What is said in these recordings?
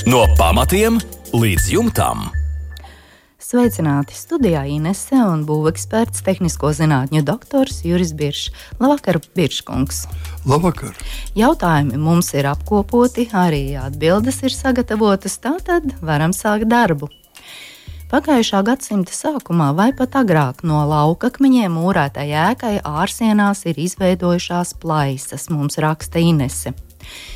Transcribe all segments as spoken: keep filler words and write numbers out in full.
No pamatiem līdz jumtam. Sveicināti studijā Inese un būveksperts, tehnisko zinātņu doktors Juris Biršs. Labvakar, Birškungs. Labvakar. Jautājumi mums ir apkopoti, arī atbildes ir sagatavotas, tātad varam sākt darbu. Pagājušā gadsimta sākumā vai pat agrāk no laukakmeņiem mūrētai ēkai ārsienās ir izveidojušās plaisas, mums raksta Inese.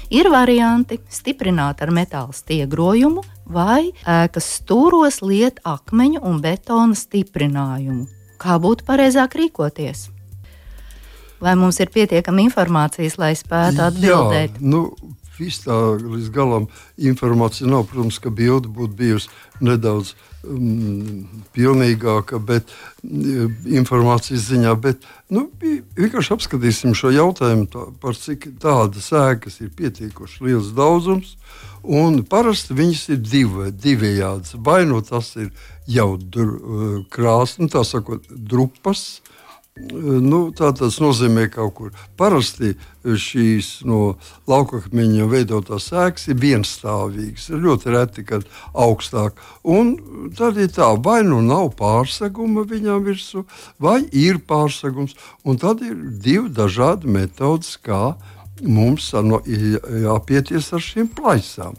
Ir varianti stiprināt ar metāla stiegrojumu vai ēkas stūros liet akmeņu un betona stiprinājumu. Kā būtu pareizāk rīkoties? Vai mums ir pietiekama informācijas, lai spētu atbildēt? Jā, nu, viss tā līdz galam informācija nav. Protams, ka bilde būtu bijusi nedaudz um, pilnīgāka, bet um, informācijas ziņā, bet nu, vienkārši apskatīsim šo jautājumu tā, par cik tādas ēkas ir pietiekoši liels daudzums, un parasti viņas ir divi, divējādas. Vai nu tas ir jau dr, krāsa, nu, tā sakot, drupas. Nu, tā tas nozīmē kaut kur. Parasti šīs no laukakmeņa veidotās ēkas ir vienstāvīgas. Ir ļoti reti, kad augstāk. Un tad ir tā, vai nu nav pārseguma viņām virsū, vai ir pārsegums. Un tad ir divi dažādi metodas, kā mums jāpieties ar šīm plaisām.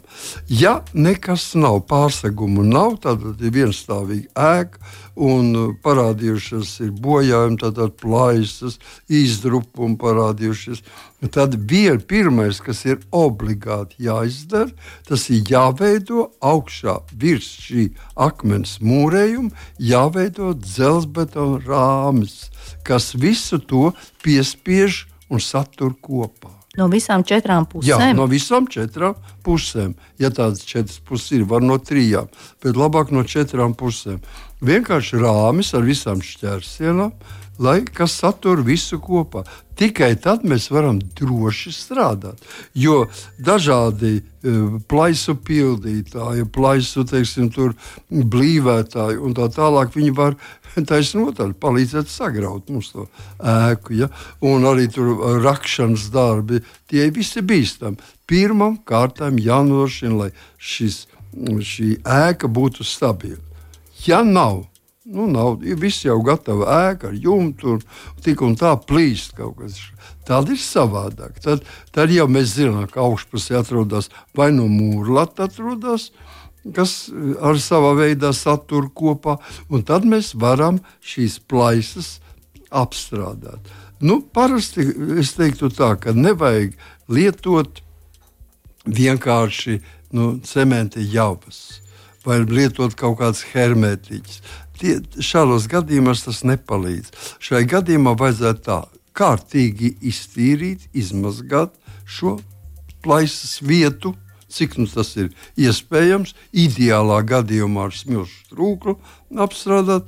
Ja nekas nav, pārsegumu nav, tad ir vienstāvīga ēka un parādījušas ir bojājumi, tad plaisas, izdrupumi parādījušies. Tad vien pirmais, kas ir obligāti jāizdara, tas ir jāveido augšā virs šī akmens mūrējuma, jāveido dzelzbetona rāmis, kas visu to piespiež un satur kopā. No visām četrām pusēm? Jā, no visām četrām pusēm. Ja tādas četras puses ir, var no trijām, bet labāk no četrām pusēm. Vienkārši rāmis ar visām šķērsienām, lai kas satur visu kopā. Tikai tad mēs varam droši strādāt, jo dažādi e, plaisu pildītāji, plaisu, teiksim, tur blīvētāji un tā tālāk, viņi var taisnotāji palīdzēt sagraut mums to ēku, ja? Un arī tur rakšanas darbi, tie visi bīstami. Pirmam kārtām jānodrošina, lai šis, šī ēka būtu stabila. Ja nav, nu nav, ir viss jau gatava ēka ar jumtu un tik un tā plīst kaut kas. Tad ir savādāk. Tad, tad jau mēs zinām, ka augšpusē atrodas vai no mūrlata atrodas, kas ar savā veidā satur kopā, un tad mēs varam šīs plaisas apstrādāt. Nu, parasti es teiktu tā, ka nevajag lietot vienkārši nu, cementa javas vai lietot kaut kādas hermētiķas. Tie, šādos gadījumos tas nepalīdz. Šai gadījumā vajadzētu tā kārtīgi iztīrīt, izmazgāt šo plaisas vietu, cik nu tas ir iespējams, ideālā gadījumā ar smilšu trūklu apstrādāt,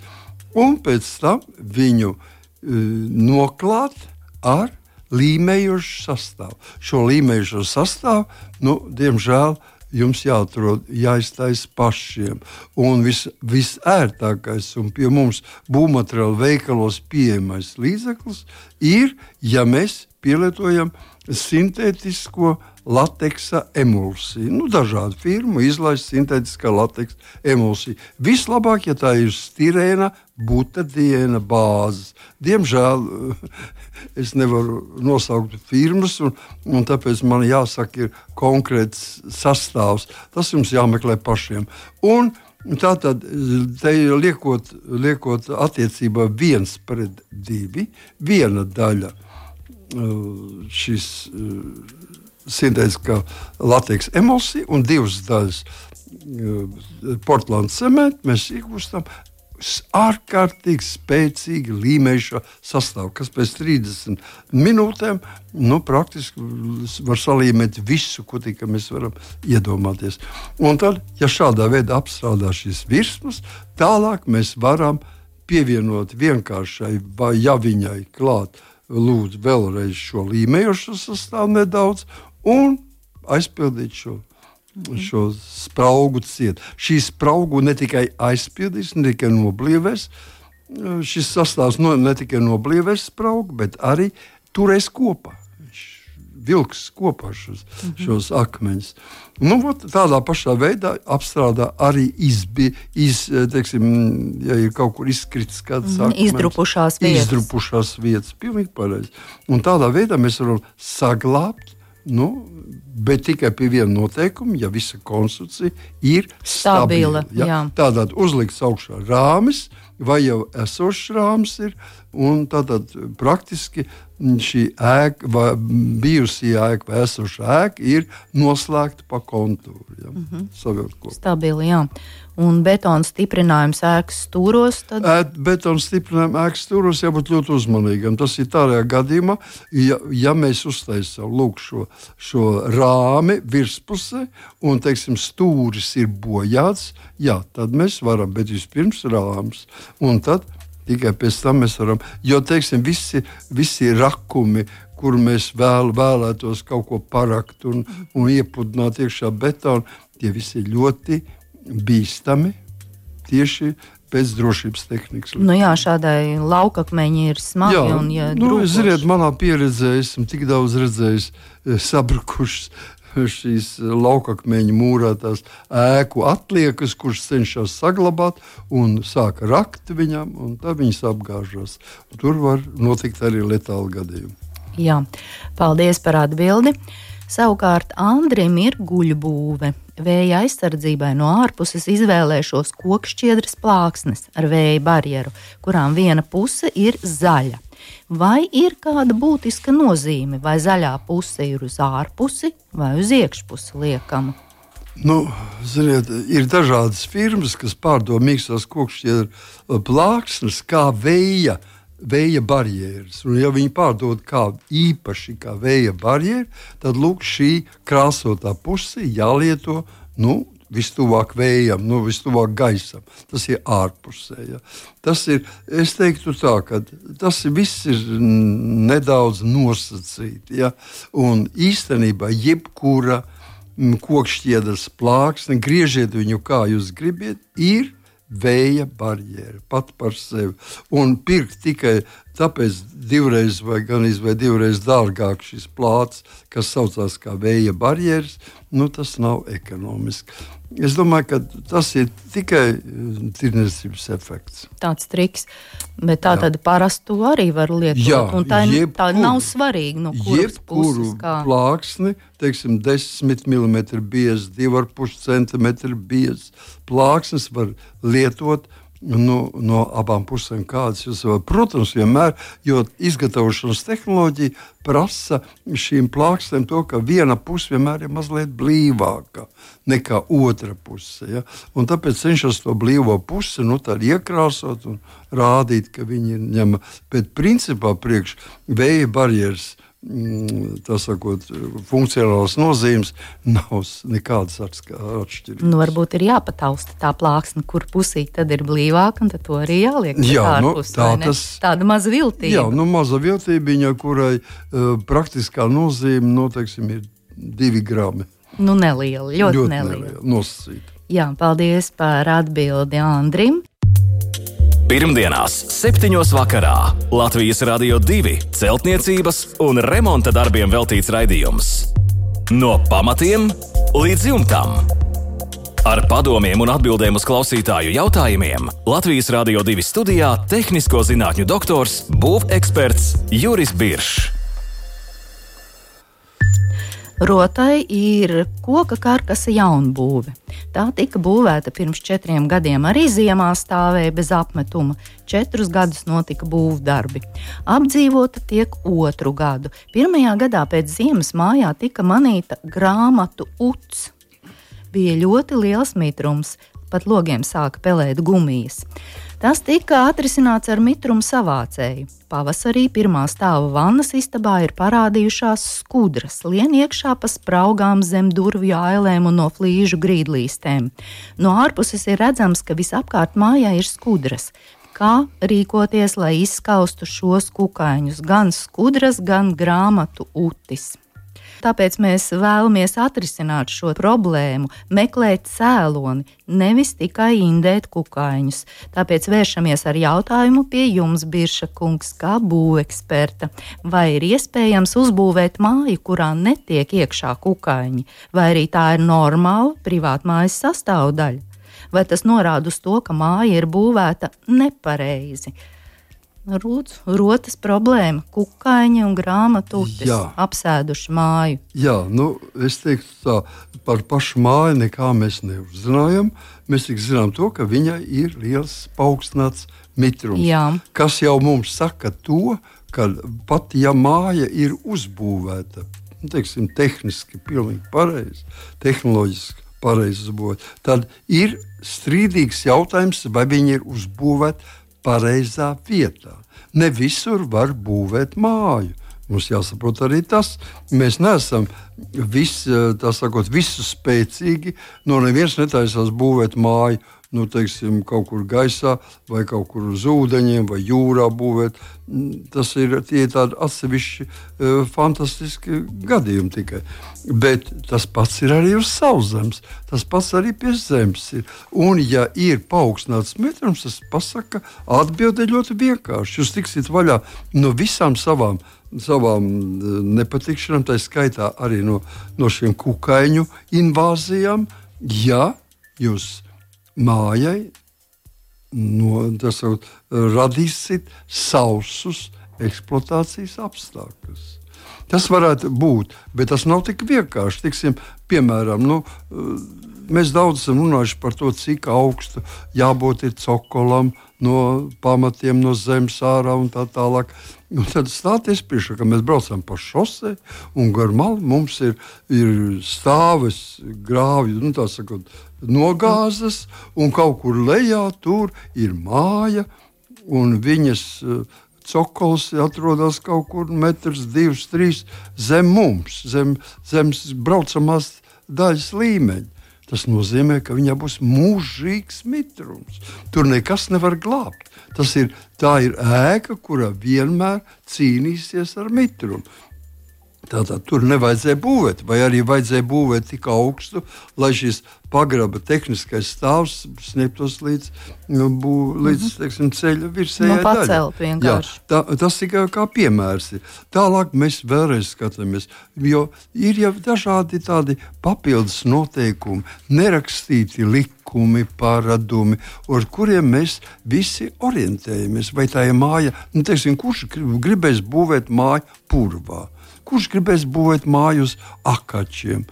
un pēc tam viņu e, noklāt ar līmējošu sastāvu. Šo līmējošo sastāvu, nu, diemžēl, jums jāatrod, jāiztais pašiem. Un vis, visērtākais un pie mums būvmateriālu veikalos pieejamais līdzeklis ir, ja mēs pielietojam sintētisko lateksa emulsiju. Nu, dažādu firmu izlaist sintētiskā lateksa emulsija. Vislabāk, ja tā ir stirēna, butadiena bāzes. Diemžēl es nevaru nosaukt firmas, un, un tāpēc man jāsaka ir konkrēts sastāvs. Tas jums jāmeklē pašiem. Un tātad, te liekot, liekot attiecībā viens pret divi, viena daļa šis sintētiskā lateksa emulsija un divas daļas portlandu cementu mēs iegūstam ārkārtīgi spēcīgi līmējušo sastāvu, kas pēc trīsdesmit minūtēm nu, praktiski var salīmēt visu, ko tikai mēs varam iedomāties. Un tad, ja šādā veidā apstrādā šīs virsmas, tālāk mēs varam pievienot vienkāršai vai ja viņai klāt lūdzu vēlreiz šo līmējošo sastāvu nedaudz un aizpildīt šo, šo spraugu ciet. Šī spraugu ne tikai aizpildīs, ne tikai noblīvēs, šis sastāvs no, ne tikai noblīvēs spraugu, bet arī turēs kopā. vilks kopā šos, mm-hmm. šos akmeņus. Nu, ot, tādā pašā veidā apstrādā arī izbi, iz, teiksim, ja ir kaut kur izkritis kāds mm-hmm. akmens. Izdrupušās vietas. Izdrupušās vietas, pilnīgi pareizi. Un tādā veidā mēs varam saglābt, nu, bet tikai pie viena noteikuma, ja visa konstrukcija ir stabila. stabila ja? Tādēļ uzlikts augšā rāmis, vai jau esošs rāmis ir, un tātad praktiski šī ēka, vai bijusī ēka, vai esošā ēka ir noslēgta pa kontūru. Ja? Mm-hmm. Savilkt kopā. Stabili, jā. Un betona stiprinājums ēkas stūros? Tad... Ēt, betona stiprinājums ēkas stūros jābūt ļoti uzmanīgam. Tas ir tādā gadījumā, ja, ja mēs uztaisām lūk šo, šo rāmi virspusē, un, teiksim, stūris ir bojāts, jā, tad mēs varam, bet vispirms rāms. Un tad tikai pēc tam mēs varam, jo, teiksim, visi, visi rakumi, kur mēs vēl, vēlētos kaut ko parakt un, un iepudināt iekšā betonu, tie visi ir ļoti bīstami tieši pēc drošības tehnikas. Nu jā, šādai laukakmeņi ir smagi. Jā, un ja nu, drūkoši. ziniet, manā pieredzē esmu tik daudz redzējis sabrukušas šīs laukakmeņu mūrētās ēku atliekas, kuras cenšas saglabāt un sāk rakt viņam, un tā viņas apgāžas. Tur var notikt arī letāli gadījumi. Jā, paldies par atbildi. Savukārt Andrim ir guļbūve. Vēja aizsardzībai no ārpuses izvēlēšos kokšķiedras plāksnes ar vēja barjeru, kurām viena puse ir zaļa. Vai ir kāda būtiska nozīme, vai zaļā puse ir uz ārpusi vai uz iekšpusi liekama? Nu, ziniet, ir dažādas firmas, kas pārdod mīkstās kokšķiedra plāksnes kā vēja, vēja barjeras. Un, ja viņi pārdod kā īpaši kā vēja barjeru, tad lūk, šī krāsotā puse jālieto, nu, vistuvāk vējam, nu, vistuvāk gaisam. Tas ir ārpusē. Ja. Tas ir, es teiktu tā, ka tas viss ir nedaudz nosacīti. Ja. Un īstenībā jebkura kokšķiedras plāksne, griežiet viņu kā jūs gribiet, ir vēja barjera pat par sevi. Un pirkt tikai tāpēc divreiz vai gan izvēl divreiz dārgāk šis plāts, kas saucās kā vēja barjeras, nu tas nav ekonomiski. Es domāju, ka tas ir tikai tirdzniecības efekts. Tāds triks, bet tā tad parastu arī var lietot. Jā, un tā, jebkur, tā nav svarīgi, no kuras puses kā. Plāksni, teiksim, desmit milimetri biez, divi ar pus centimetri biez. Plāksnes var lietot nu, no abām pusēm kādas jūs varat. Protams, vienmēr, jo izgatavošanas tehnoloģija prasa šīm plāksnēm to, ka viena puse vienmēr ir mazliet blīvāka nekā otra puse. Ja? Un tāpēc cenšas to blīvo pusi nu, iekrāsot un rādīt, ka viņi ir ņema. Bet principā priekš vēja barjeras, tā sakot, funkcionālas nozīmes nav nekādas atšķirības. Nu, varbūt ir jāpatausta tā plāksne, kur pusī tad ir blīvāka, un tad to arī jāliek jā, ārpus, nu, tā, tas, tāda maza viltība. Jā, nu maza viltībiņa, kurai uh, praktiskā nozīme, nu, teiksim, ir divi grami. Nu, neliela, ļoti, ļoti neliela. neliela nosacīta. Jā, paldies par atbildi Andrim. Pirmdienās, septiņos vakarā Latvijas Radio divi celtniecības un remonta darbiem veltīts raidījums. No pamatiem līdz jumtam. Ar padomiem un atbildēm uz klausītāju jautājumiem Latvijas Radio divi studijā tehnisko zinātņu doktors, būveksperts Juris Biršs. Rotai ir koka karkasa jaunbūve. Tā tika būvēta pirms četriem gadiem, arī ziemā stāvēja bez apmetuma. Četrus gadus notika būvdarbi. Apdzīvota tiek otru gadu. Pirmajā gadā pēc ziemas mājā tika manīta grāmatu uts. Bija ļoti liels mitrums, pat logiem sāka pelēt gumijas. Tas tika atrisināts ar mitrumu savācēju. Pavasarī pirmā stāva vannas istabā ir parādījušās skudras, lien iekšā pa spraugām zem durvju ailēm un no flīžu grīdlīstēm. No ārpuses ir redzams, ka visapkārt mājā ir skudras. Kā rīkoties, lai izskaustu šos kukaiņus, gan skudras, gan grāmatu utis? Tāpēc mēs vēlamies atrisināt šo problēmu, meklēt cēloni, nevis tikai indēt kukaiņus. Tāpēc vēršamies ar jautājumu pie jums, Birša kungs, kā būveksperta. Vai ir iespējams uzbūvēt māju, kurā netiek iekšā kukaiņi, vai arī tā ir normāla privātmājas sastāvdaļa? Vai tas norāda uz to, ka māja ir būvēta nepareizi? Rūdzu, rotas problēma, kukaiņi un grāmatūtis apsēduši māju. Jā, nu, es teiktu tā, par pašu māju nekā mēs neuzzinājam. Mēs tik zinām to, ka viņai ir liels paaugstināts mitrums. Jā. Kas jau mums saka to, ka pat ja māja ir uzbūvēta, nu, teiksim, tehniski pilnīgi pareizi, tehnoloģiski pareizi uzbūvēta, tad ir strīdīgs jautājums, vai viņi ir uzbūvēti pareizā vietā. Ne visur var būvēt māju. Mums jāsaprot arī tas. Mēs neesam vis, tā sakot, visu spēcīgi. No neviens netaisās būvēt māju, nu, teiksim, kaut kur gaisā, vai kaut kur uz ūdeņiem, vai jūrā būvēt. Tas ir tie tādi atsevišķi uh, fantastiski gadījumi tikai. Bet tas pats ir arī uz sauszemes, tas pats arī pie zemes ir. Un, ja ir paaugstināts mitrums, tas pasaka, atbilde ļoti vienkārši. Jūs tiksiet vaļā no visām savām, savām nepatikšanām, tā skaitā arī no, no šiem kukaiņu invāzijām, ja jūs mājai no, tas, radīsit sausus eksploatācijas apstākļus. Tas varētu būt, bet tas nav tik vienkārši. Tiksim, piemēram, nu, mēs daudz esam runājuši par to, cik augstu jābūt ir cokolam no pamatiem, no zemes ārā un tā tālāk. Un tad stāties priekšā, ka mēs braucam pa šosei un gar malu mums ir, ir stāves grāvju, nu tā sakot, nogāzes, un kaut kur lejā tur ir māja, un viņas cokols atrodas kaut kur metrs, divs, trīs zem mums, zem, zem braucamās daļas līmeņa. Tas nozīmē, ka viņā būs mūžīgs mitrums. Tur nekas nevar glābt. Tas ir, tā ir ēka, kura vienmēr cīnīsies ar mitrumu. Tātad tur nevajadzēja būvēt, vai arī vajadzēja būvēt tik augstu, lai šis pagraba tehniskais stāvs sniegtos līdz, bū, līdz teiksim, ceļa virsējai no daļai. Jā, tā, tas tikai kā piemērs ir. Tālāk mēs vēlreiz skatāmies, jo ir jau dažādi tādi papildus noteikumi, nerakstīti likumi, paradumi, ar kuriem mēs visi orientējamies. Vai tā ir māja, nu, teiksim, kurš gribēs būvēt māju purvā? Kurš gribēs būvēt māju uz akačiem?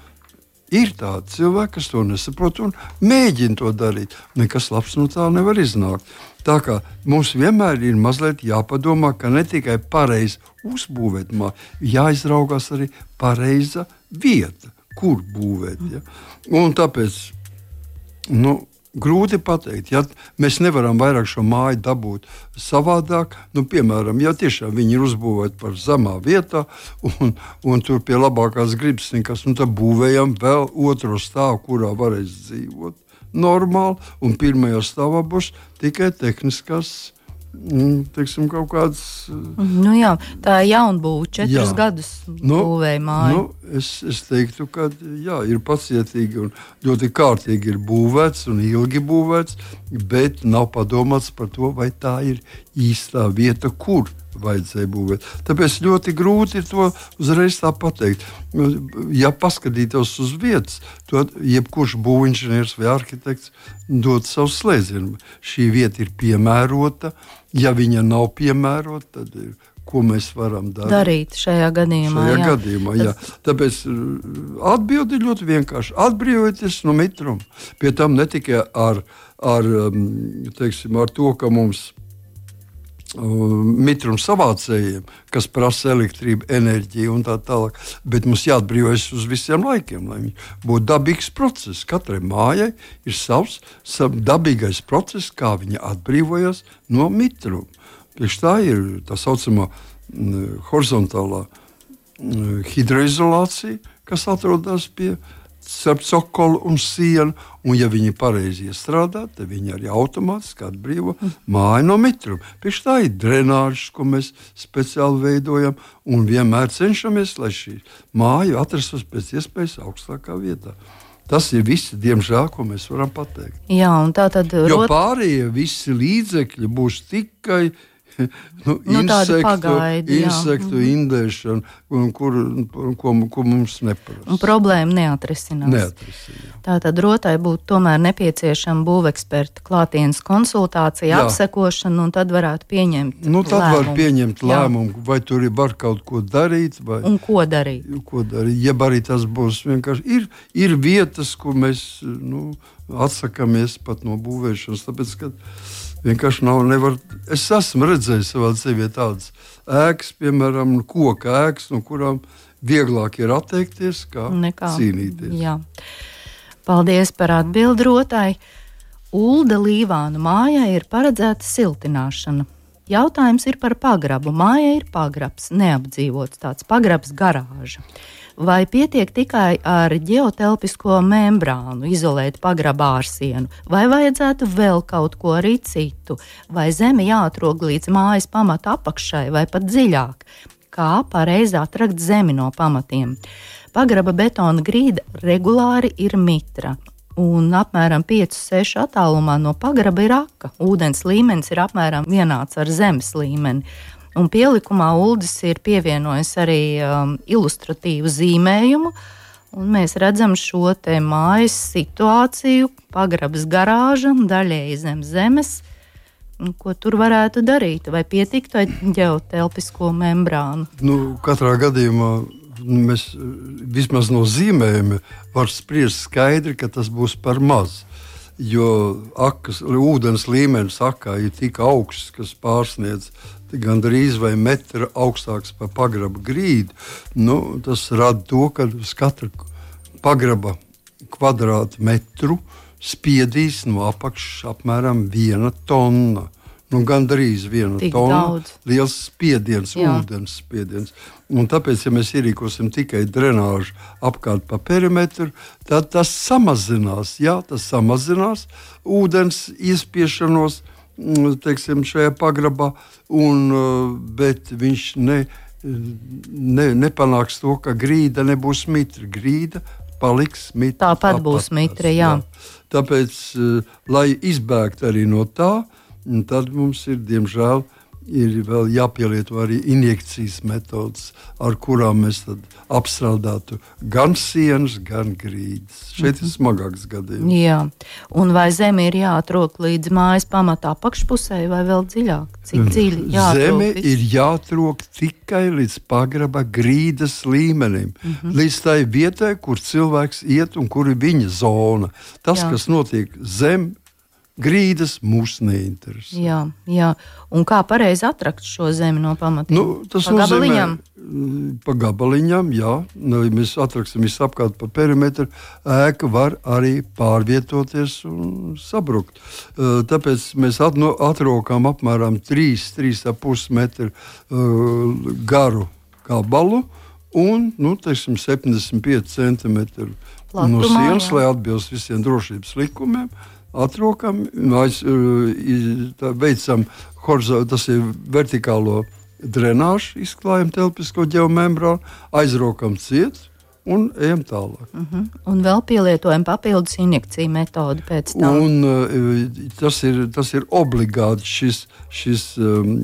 Ir tādi cilvēki, kas to nesaprot un mēģina to darīt. Nekas labs no tā nevar iznākt. Tā kā mums vienmēr ir mazliet jāpadomā, ka ne tikai pareizi uzbūvēt māju, jāizraugās arī pareiza vieta, kur būvēt. Ja? Un tāpēc, nu, grūti pateikt, ja mēs nevaram vairāk šo māju dabūt savādāk, nu, piemēram, ja tiešām viņi ir uzbūvēti par zemā vietā un, un tur pie labākās gribas nekas, nu, tad būvējam vēl otro stāvu, kurā varēs dzīvot normāli, un pirmajā stāvā būs tikai tehniskās, teiksim, kaut kādas. Nu jā, tā ir jaunbūve, četrus gadus nu, būvēja māju. Nu, es, es teiktu, ka jā, ir pacietīgi un ļoti kārtīgi ir būvēts un ilgi būvēts, bet nav padomāts par to, vai tā ir īstā vieta, kur vajadzēja būvēt. Tāpēc ļoti grūti ir to uzreiz tā pateikt. Ja paskatītos uz vietas, tad jebkurš būvinženieris vai arhitekts dod savu slēdzienu. Šī vieta ir piemērota. Ja viņa nav piemērota, tad ir, ko mēs varam darīt? Darīt šajā gadījumā. Šajā jā. gadījumā, jā. Tāpēc atbildi ļoti vienkārši. Atbrīvojieties no mitruma. Pie tam ne tikai ar, ar, teiksim, ar to, ka mums mitrums savācējiem, kas prasa elektrību, enerģiju un tā tālāk, bet mums jāatbrīvojas uz visiem laikiem, lai viņš būtu dabīgs process. Katrai mājai ir savs, savs dabīgais process, kā viņa atbrīvojas no mitruma. Tieši tā ir tā saucamā horizontālā hidroizolācija, kas atrodas pie starp cokolu un sienu, un ja viņi pareizi iestrādā, tad viņi arī automātiski atbrīvo māju no mitruma. Pēc tā ir drenāžas, ko mēs speciāli veidojam, un vienmēr cenšamies, lai šī māja atrastos pēc iespējas augstākā vietā. Tas ir viss, diemžēl, ko mēs varam pateikt. Jā, un tā tad... Jo pārējie visi līdzekļi būs tikai nu, nu, insektu, pagaidi, insektu mm-hmm. indēšana, kur, ko, ko mums neparasti. Un problēma neatrisinās. Neatrisinās. Tātad rotai būtu tomēr nepieciešama būveksperta klātienes konsultācija, jā. apsekošana, un tad varētu pieņemt nu, tad lēmumu. var pieņemt lēmumu, jā. vai tur var kaut ko darīt. Vai, un ko darīt? Ko darīt. Ja arī tas būs vienkārši... Ir, ir vietas, kur mēs nu, atsakamies pat no būvēšanas, tāpēc, ka vienkārši nav, nevar. Es esmu redzējis savā dzīvē tādas ēkas, piemēram, koka ēkas, no kurām vieglāk ir atteikties, kā Nekā. cīnīties. Jā. Paldies par atbildi rotai. Ulda Līvānu mājai ir paredzēta siltināšana. Jautājums ir par pagrabu. Mājai ir pagrabs, neapdzīvots tāds pagrabs garāža. Vai pietiek tikai ar ģeotelpisko membrānu izolēt pagraba ārsienu, vai vajadzētu vēl kaut ko arī citu, vai zeme jāatrog līdz mājas pamata apakšai, vai pat dziļāk? Kā pareizi atrakt zemi no pamatiem? Pagraba betona grīda regulāri ir mitra, un apmēram pieci seši attālumā no pagraba ir aka. Ūdens līmenis ir apmēram vienāds ar zemes līmeni. Un pielikumā Uldis ir pievienojis arī um, ilustratīvu zīmējumu, un mēs redzam šo te mājas situāciju, pagrabas garāža, daļēji zem zemes, ko tur varētu darīt, vai pietiktu ar ģeotelpisko membrānu? Nu, katrā gadījumā mēs vismaz no zīmējuma var spriest skaidri, ka tas būs par maz. Jo akas, ūdens līmenis akā ir tik augsts, kas pārsniedz gandrīz vai metra augstāks par pagraba grīdu. Nu, tas rada to, ka uz katru pagraba kvadrātmetru spiedīs no apakšas apmēram viena tonna. Nu, gandrīz viena Tik tonna. Daudz. Liels spiediens, Jā. ūdens spiediens. Un tāpēc, ja mēs ierīkosim tikai drenāžu apkārt pa perimetru, tad tas samazinās, jā, tas samazinās ūdens iespiešanos, teiksim, šajā pagrabā, un, bet viņš ne, ne, nepanāks to, ka grīda nebūs mitra. Grīda paliks mitra. Tāpat būs mitra, jā. jā. Tāpēc, lai izbēgtu arī no tā, tad mums ir, diemžēl, ir vēl jāpielieto arī injekcijas metodas, ar kurām mēs tad apstrādātu gan sienas, gan grīdas. Šeit ir smagāks gadījums. Jā, un vai zeme ir jāatrok līdz mājas pamatā apakšpusē vai vēl dziļāk? Cik dziļi jāatrok? Zeme ir jāatrok tikai līdz pagraba grīdas līmenim, mm-hmm. līdz tai vietai, kur cilvēks iet un kur ir viņa zona. Tas, Jā. kas notiek zem grīdas, mūs neinteresē. Jā, jā. Un kā pareizi atrakt šo zemi no pamatiem? Nu, tas pa gabaliņam? Pa gabaliņam, jā. Ja mēs atraksim visu apkārt pa perimetru, ēka var arī pārvietoties un sabrukt. Tāpēc mēs atrokām apmēram trīs, trīs ar pus metru garu gabalu un, nu, teiksim, septiņdesmit pieci centimetri no sienas, lai atbilst visiem drošības likumiem. Atrokam, aiz, tā, veicam tas ir vertikālo drenāžu, izklājam telpisko ģeomembrānu, aizrokam ciet un ejam tālāk. Uh-huh. Un vēl pielietojam papildus injekciju metodi pēc tam. Un tas ir, tas ir obligāti, šis, šis um,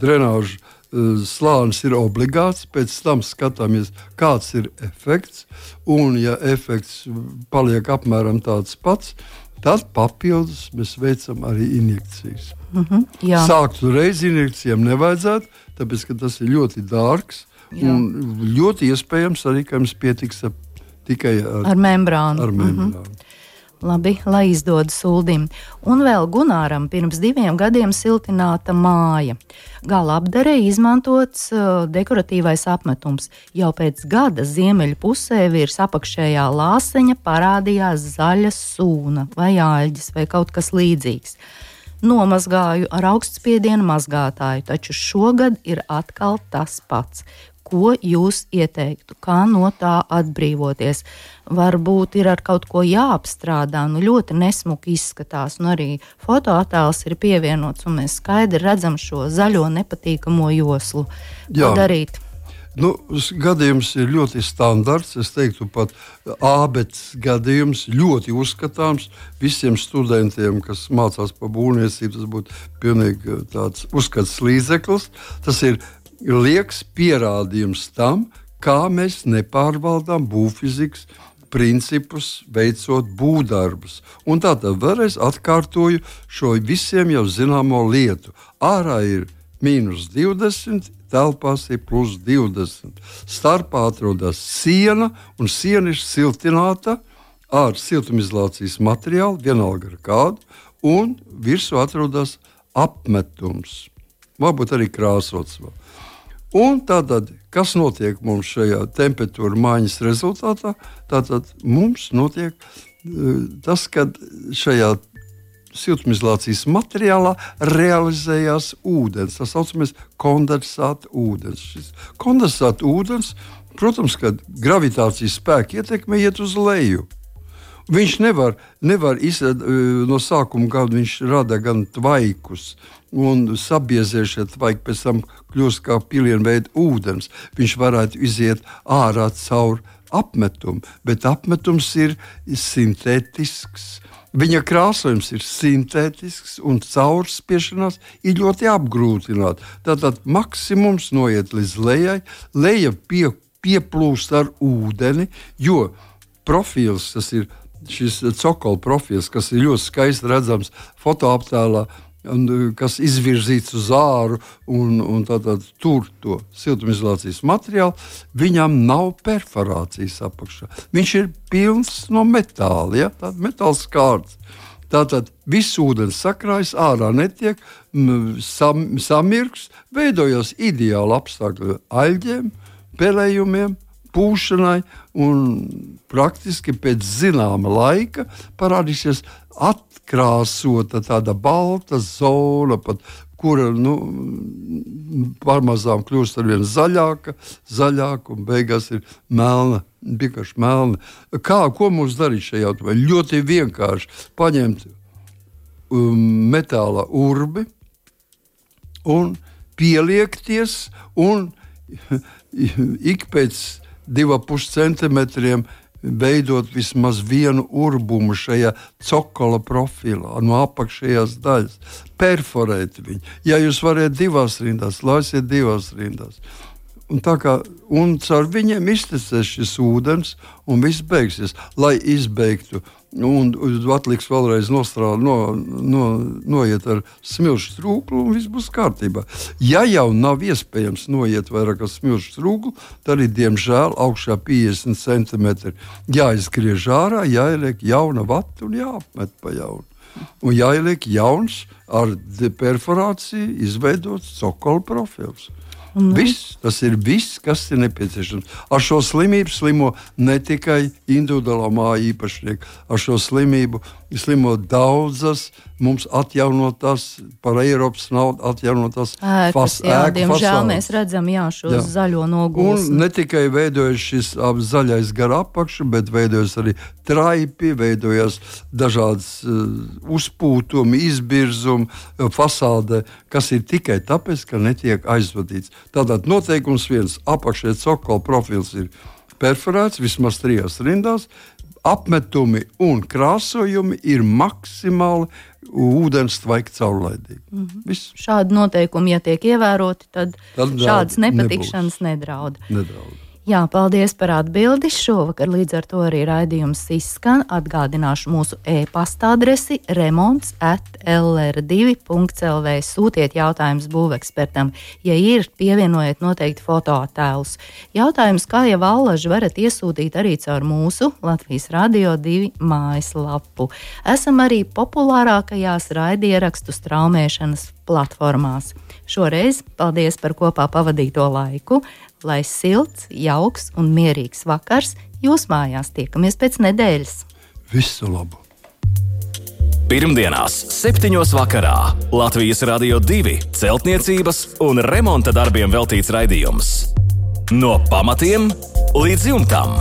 drenāžu uh, slānis ir obligāts, pēc tam skatāmies, kāds ir efekts, un ja efekts paliek apmēram tāds pats, tad papildus mēs veicam arī injekcijas. Uh-huh, Sākt uzreiz injekcijām nevajadzētu, tāpēc, ka tas ir ļoti dārgs jā. Un ļoti iespējams arī, ka mums pietiks ar, tikai ar, ar membrānu. Ar membrānu. Uh-huh. Labi, lai izdodas Uldim. Un vēl Gunāram pirms diviem gadiem siltināta māja. Gala apdarē izmantots uh, dekoratīvais apmetums. Jau pēc gada ziemeļu pusē virs apakšējā lāseņa parādījās zaļa sūna vai āļģis vai kaut kas līdzīgs. Nomazgāju ar augstspiedienu mazgātāju, taču šogad ir atkal tas pats. ko jūs ieteiktu, kā no tā atbrīvoties? Varbūt ir ar kaut ko jāapstrādā, nu ļoti nesmuki izskatās, nu arī fotoattēls ir pievienots, un mēs skaidri redzam šo zaļo nepatīkamo joslu. Jā. Ko darīt? Nu, gadījums ir ļoti standarts. Es teiktu, pat ābets gadījums ļoti uzskatāms visiem studentiem, kas mācās pa būvniecību. Tas būtu pilnīgi tāds uzskats līdzeklis. Tas ir lieks pierādījums tam, kā mēs nepārvaldām būvfizikas principus, veicot būvdarbus. Un tātad vēlreiz atkārtoju šo visiem jau zināmo lietu. Ārā ir mīnus divdesmit, telpās ir plus divdesmit. Starpā atrodas siena, un siena ir siltināta ar siltumizolācijas materiālu, vienalga ar kādu, un virsū atrodas apmetums. Varbūt arī krāsots vēl. Un tātad, kas notiek mums šajā temperatūra maiņas rezultātā? Tātad mums notiek tas, ka šajā siltumizolācijas materiālā realizējās ūdens. Tas saucamies kondensāta ūdens. Šis kondensāta ūdens, protams, kad gravitācijas spēki ietekme iet uz leju. Viņš nevar, nevar izrad, no sākuma gada viņš rada gan tvaikus, un sabiezēšie tvaiki pēc tam kļūst kā pilienveida ūdens. Viņš varētu iziet ārā caur apmetumu, bet apmetums ir sintētisks. Viņa krāsojums ir sintētisks un caurspiešanās ir ļoti apgrūtināta. Tātad maksimums noiet līdz lejai, leja pie, pieplūst ar ūdeni, jo profils, tas ir šis cokola profils, kas ir ļoti skaisti redzams fotoattēlā, un, kas izvirzīts uz āru un, un tātad tur to siltumizolācijas materiālu, viņam nav perforācijas apakšā. Viņš ir pilns no metāla, ja? Tātad metāls kārts. Tātad viss ūdens sakrājas, ārā netiek, sam, samirks, veidojas ideāli apstākļi aļģiem, pelējumiem, pūšanai, un praktiski pēc zināma laika parādīsies atkrāsota tāda balta zona, pat, kura nu, pārmazām kļūst arvien zaļāka, zaļāka un beigās ir melna, vienkārši melna. Kā, ko mums darīt šajā jautājumā? Ļoti vienkārši paņemt um, metāla urbi un pieliekties un ik pēc divi pusi centimetriem veidot vismaz vienu urbumu šajā cokola profilā, no apakšējās daļas, perforēt viņu. Ja jūs varat divās rindās, laisiet divās rindās. Un, tā kā, un caur viņiem iztecēs šis ūdens, un viss beigsies, lai izbeigtu. Un atliks vēlreiz nostrādā, no, no, noiet ar smilšu trūklu, un viss būs kārtībā. Ja jau nav iespējams noiet vairāk ar smilšu trūklu, tad arī, diemžēl, augšā piecdesmit centimetri jāizgriež ārā, jāieliek jauna vata un jāapmet pa jaunu. Un jāieliek jauns ar perforāciju izveidots cokola profils. Mm. Viss, tas ir viss, kas ir nepieciešams. Ar šo slimību slimo ne tikai individuālā māja īpašnieki, ar šo slimību slimo daudzas mums atjaunotās, par Eiropas naudu atjaunotās ēkas. Jā, diemžēl mēs redzam jā, šos jā. zaļo nogulsni. Un ne tikai veidojas šis zaļais gar apakšu, bet veidojas arī traipi, veidojas dažādas uh, uzpūtumi, izbirzumi fasādē, kas ir tikai tāpēc, ka netiek aizvadīts. Tātad noteikums viens, apakšē cokola profils ir perforēts vismaz trijās rindās, apmetumi un krāsojumi ir maksimāli ūdens tvaika caurlaidīgi. Mm-hmm. Šādi noteikumi, ja tiek ievēroti, tad, tad šādas nepatikšanas nedraud. Nedraud. Jā, paldies par atbildi. Šovakar līdz ar to arī raidījums izskan. Atgādināšu mūsu e-pasta adresi remonts at l r divi punkts l v. Sūtiet jautājumus būvekspertam. Ja ir, pievienojiet noteikti fotoattēlus. Jautājums, kā jau allaži, varat iesūtīt arī caur mūsu Latvijas Radio divi mājaslapu. Esam arī populārākajās raidierakstu straumēšanas platformās. Šoreiz paldies par kopā pavadīto laiku. Lai silts, jauks un mierīgs vakars jūs mājās. Tiekamies pēc nedēļas. Visu labu! Pirmdienās, septiņos vakarā Latvijas Radio divi celtniecības un remonta darbiem veltīts raidījums. No pamatiem līdz jumtam.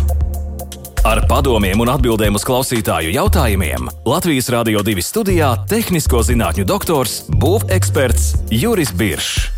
Ar padomiem un atbildēm uz klausītāju jautājumiem Latvijas Radio divi studijā tehnisko zinātņu doktors, būveksperts Juris Biršs.